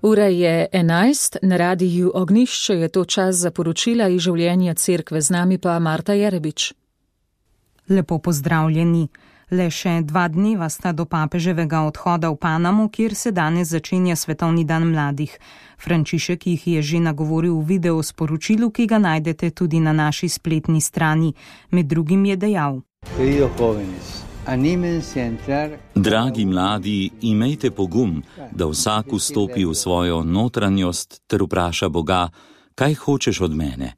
Ura je 11, na radiju Ognjišče je to čas za poročila iz življenja cerkve, z nami pa Marta Jerebič. Lepo pozdravljeni. Le še 2 dneva sta do papeževega odhoda v Panamo, kjer se danes začenja Svetovni dan mladih. Frančišek jih je že nagovoril v video sporočilu, ki ga najdete tudi na naši spletni strani. Med drugim je dejal: Dragi mladi, imejte pogum, da vsak vstopi v svojo notranjost ter vpraša Boga, kaj hočeš od mene.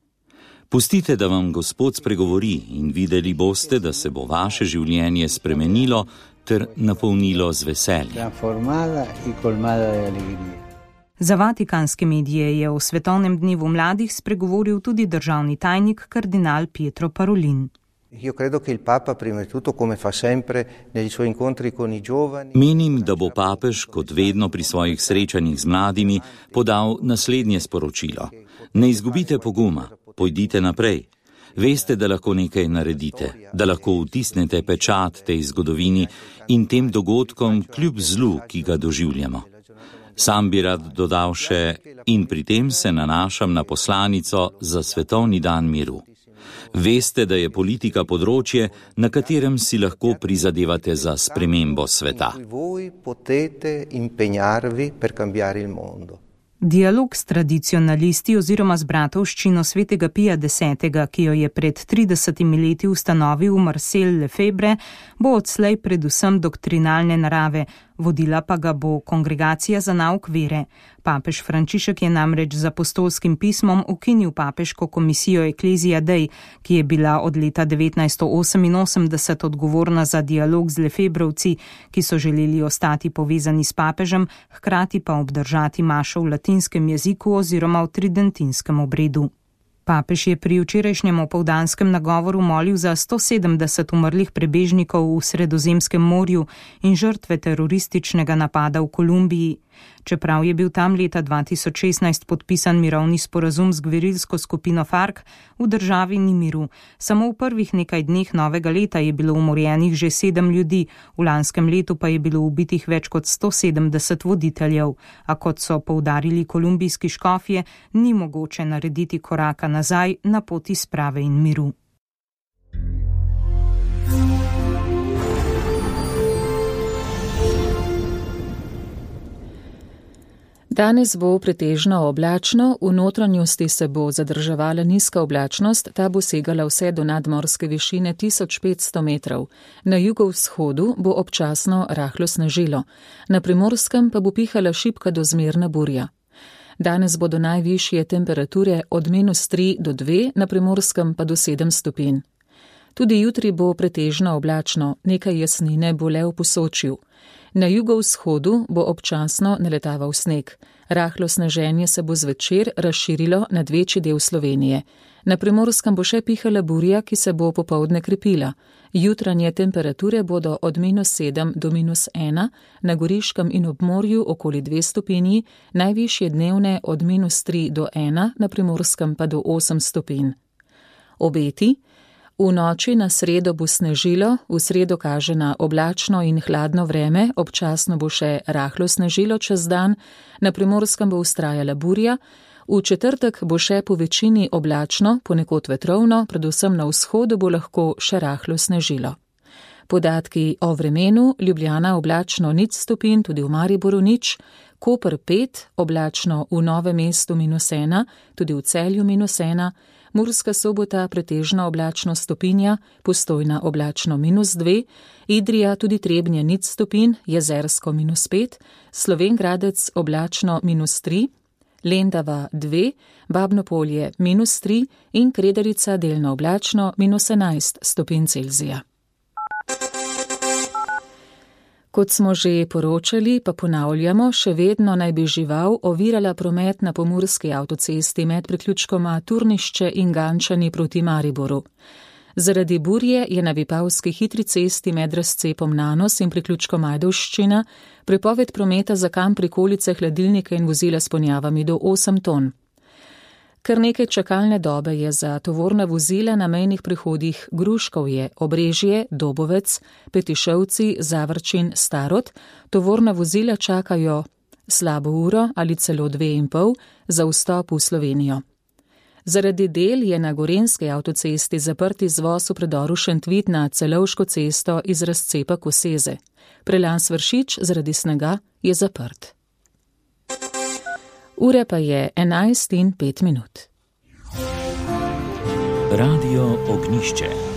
Pustite, da vam Gospod spregovori in videli boste, da se bo vaše življenje spremenilo ter napolnilo z veseljem. Za vatikanske medije je o Svetovnem dnevu mladih spregovoril tudi državni tajnik kardinal Pietro Parolin. Menim, da bo papež, kot vedno pri svojih srečanjih z mladimi, podal naslednje sporočilo. Ne izgubite poguma, pojdite naprej. Veste, da lahko nekaj naredite, da lahko vtisnete pečat tej zgodovini in tem dogodkom kljub zlu, ki ga doživljamo. Sam bi rad dodal še, in pri tem se nanašam na poslanico za Svetovni dan miru. Veste, da je politika področje, na katerem si lahko prizadevate za spremembo sveta. Dialog s tradicionalisti oziroma z bratovščino svetega Pija X, ki jo je pred 30 leti ustanovil Marcel Lefebvre, bo odslej predvsem doktrinalne narave, vodila pa ga bo Kongregacija za nauk vere. Papež Frančišek je namreč z apostolskim pismom ukinil papeško komisijo Ecclesia Dei, ki je bila od leta 1988 odgovorna za dialog z Lefebvrovci, ki so želeli ostati povezani s papežem, hkrati pa obdržati mašo v latinskem jeziku oziroma v tridentinskem obredu. Papež je pri včerajšnjem opoldanskem nagovoru molil za 170 umrlih prebežnikov v Sredozemskem morju in žrtve terorističnega napada v Kolumbiji. Čeprav je bil tam leta 2016 podpisan mirovni sporazum z gverilsko skupino FARC, v državi ni miru. Samo v prvih nekaj dneh novega leta je bilo umorjenih že 7 ljudi, v lanskem letu pa je bilo ubitih več kot 170 voditeljev. A kot so poudarili kolumbijski škofje, ni mogoče narediti koraka nazaj na poti sprave in miru. Danes bo pretežno oblačno, v notranjosti se bo zadrževala nizka oblačnost, ta bo segala vse do nadmorske višine 1500 metrov. Na jugovzhodu bo občasno rahlo snežilo, na Primorskem pa bo pihala šibka do zmerna burja. Danes bodo najvišje temperature od -3 do 2, na Primorskem pa do 7 stopinj. Tudi jutri bo pretežno oblačno, nekaj jasnine bo le v Posočju. Na jugovzhodu bo občasno naletaval sneg. Rahlo sneženje se bo zvečer razširilo nad večji del Slovenije. Na Primorskem bo še pihala burja, ki se bo popoldne krepila. Jutranje temperature bodo od -7 do -1, na Goriškem in ob morju okoli 2 stopinji, najvišje dnevne od -3 do 1, na Primorskem pa do 8 stopinj. Obeti. V noči na sredo bo snežilo, v sredo kaže na oblačno in hladno vreme, občasno bo še rahlo snežilo čez dan, na Primorskem bo vztrajala burja, v četrtek bo še po večini oblačno, ponekod vetrovno, predvsem na vzhodu bo lahko še rahlo snežilo. Podatki o vremenu: Ljubljana oblačno 0 stopinj, tudi v Mariboru 0, Koper 5, oblačno v Novem mestu -1, tudi v Celju -1, Murska Sobota pretežno oblačno stopinja, Postojna oblačno -2, Idrija tudi Trebnje 0 stopinj, Jezersko -5, Slovenj Gradec oblačno -3, Lendava 2, Babno Polje -3 in Kredarica delno oblačno -11 stopinj Celzija. Kot smo že poročali, pa ponavljamo, še vedno naj bi žival ovirala promet na pomurski avtocesti med priključkoma Turnišče in Gančani proti Mariboru. Zaradi burje je na Vipavski hitri cesti med razcepom Nanos in priključkom Ajdovščina prepoved prometa za kam prikolice, hladilnike in vozila s ponjavami do 8 ton. Kar nekaj čakalne dobe je za tovorna vozila na mejnih prehodih Gruškovje, Obrežje, Dobovec, Petišovci, Zavrčin, Starod. Tovorna vozila čakajo slabo uro ali celo 2,5 za vstop v Slovenijo. Zaradi del je na gorenjski avtocesti zaprt izvoz v predoru Šentvid na Celovško cesto iz razcepa Koseze. Prelan Svršič zaradi snega je zaprt. Ure pa je 11:05. Radio Ognjišče.